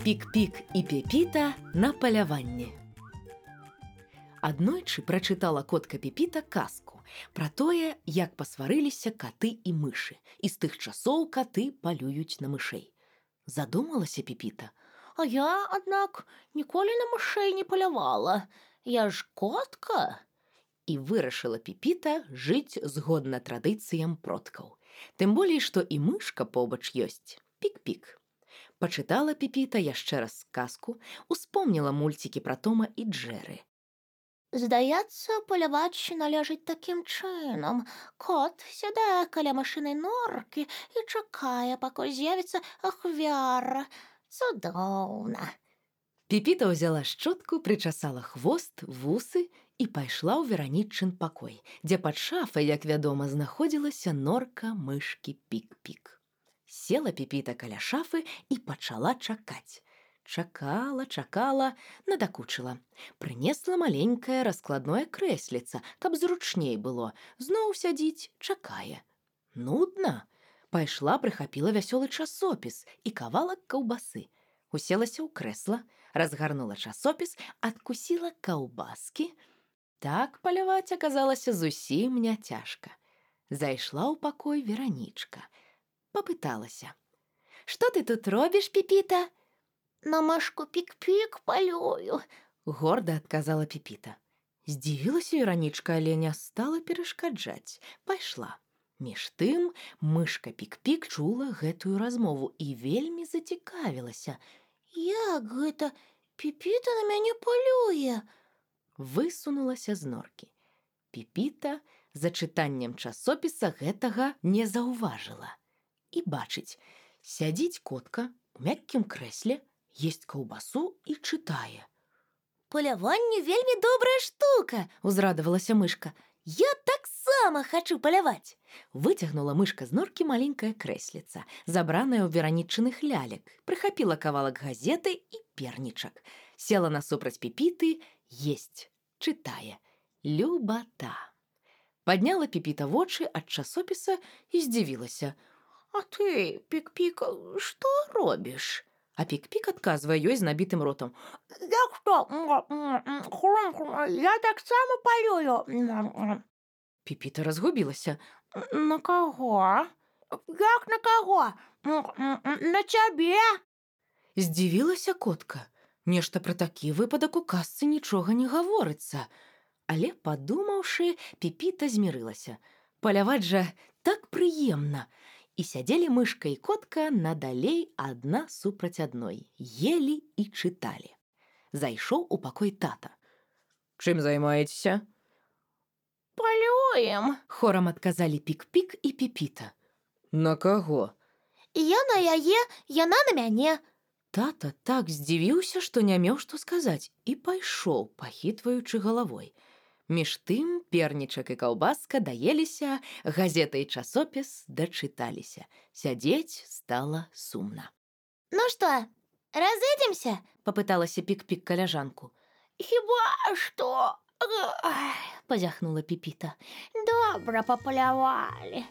Пік-пік і Пепіта на паляванні. Аднойчы прачытала котка Пепіта казку пра тое, як пасварыліся каты і мышы, і з тых часоў каты палююць на мышэй. Задумалася Пепіта. А я, аднак, ніколі на мышэй не палявала. Я ж котка. І вырашыла Пепіта жыць згодна традыцыям продкаў. Тым болей, што і мышка побач ёсць. Пік-пік. Пачытала Пепіта яшчэ раз казку, успомніла мульцікі пра Тома і Джэры. Здаецца, паляваць належыць такім чынам. Кот сядае каля мышынай норкі і чакае, пакуль з'явіцца ахвяра. Цудоўна. Пепіта ўзяла шчотку, прычасала хвост, вусы і пайшла ў Веранічын пакой, дзе пад шафай, як вядома, знаходзілася норка мышкі Пік-пік. Села Пепіта каля шафы і пачала чакаць. Чакала, надакучыла. Прынесла маленькае раскладное крэсліца, каб зручней было. Зноў сядзіць, чакае. Нудна. Пайшла, прыхапіла вясёлы часопіс і кавалак каўбасы. Уселася ў крэсла, разгарнула часопіс, адкусіла каўбаскі. Так паляваць аказалася зусім няцяжка. Зайшла ў пакой Веранічка. Папыталася. «Што ты тут робіш, Пепіта?» На мышку Пік-пік палюю, горда адказала Пепіта. Здзівілася Веранічка, але не стала перашкаджаць. Пайшла. Між тым мышка Пік-пік чула гэтую размову і вельмі зацікавілася. Як гэта Пепіта на мяне палюе? Высунулася з норкі. Пепіта за чытаннем часопіса гэтага не заўважыла. І бачыць, сядзіць котка ў мяккім крэсле, есць каўбасу і чытае. Паляванне вельмі добрая штука, узрадавалася мышка. Я таксама хачу паляваць. Выцягнула мышка з норкі маленькае крэсліца, забранае ў Веранічыных лялек, прыхапіла кавалак газеты і пернічак. Села насупраць Пепіты, есць, чытае. Любата. Падняла Пепіта вочы ад часопіса і здзівілася. А ты, Пік-пік, што робіш? А Пік-пік адказвае ёй з набітым ротам. Як што? Я таксама палюю. Пепіта разгубілася. На каго? Як на каго? На цябе? Здзівілася котка. Нешта пра такі выпадак у казцы нічога не гаворыцца. Але, падумаўшы, Пепіта змірылася. Паляваць жа так прыемна. І сядзелі мышка і котка надалей адна супраць адной, елі і чыталі. Зайшоў у пакой тата. «Чым займаецеся?» «Палюем», хорам адказалі Пік-пік і Пепіта. «На каго?» «Я на яе, яна на мяне». Тата так здзівіўся, што не меў што сказаць, і пайшоў, пахітваючы галавой. Між тым пернічак і каўбаска даеліся, газета і часопіс дачыталіся. Сядзець стала сумна. «Ну што, разыдземся?» – папыталася Пік-пік каляжанку. «Хіба што?» – пазяхнула Пепіта. «Добра папалявалі».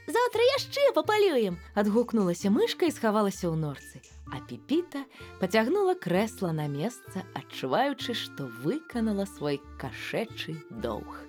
«Заўтра яшчэ папалюем!» – адгукнулася мышка і схавалася ў норцы. А Пепіта пацягнула крэсла на месца, адчуваючы, што выканала свой кашэчы доўг.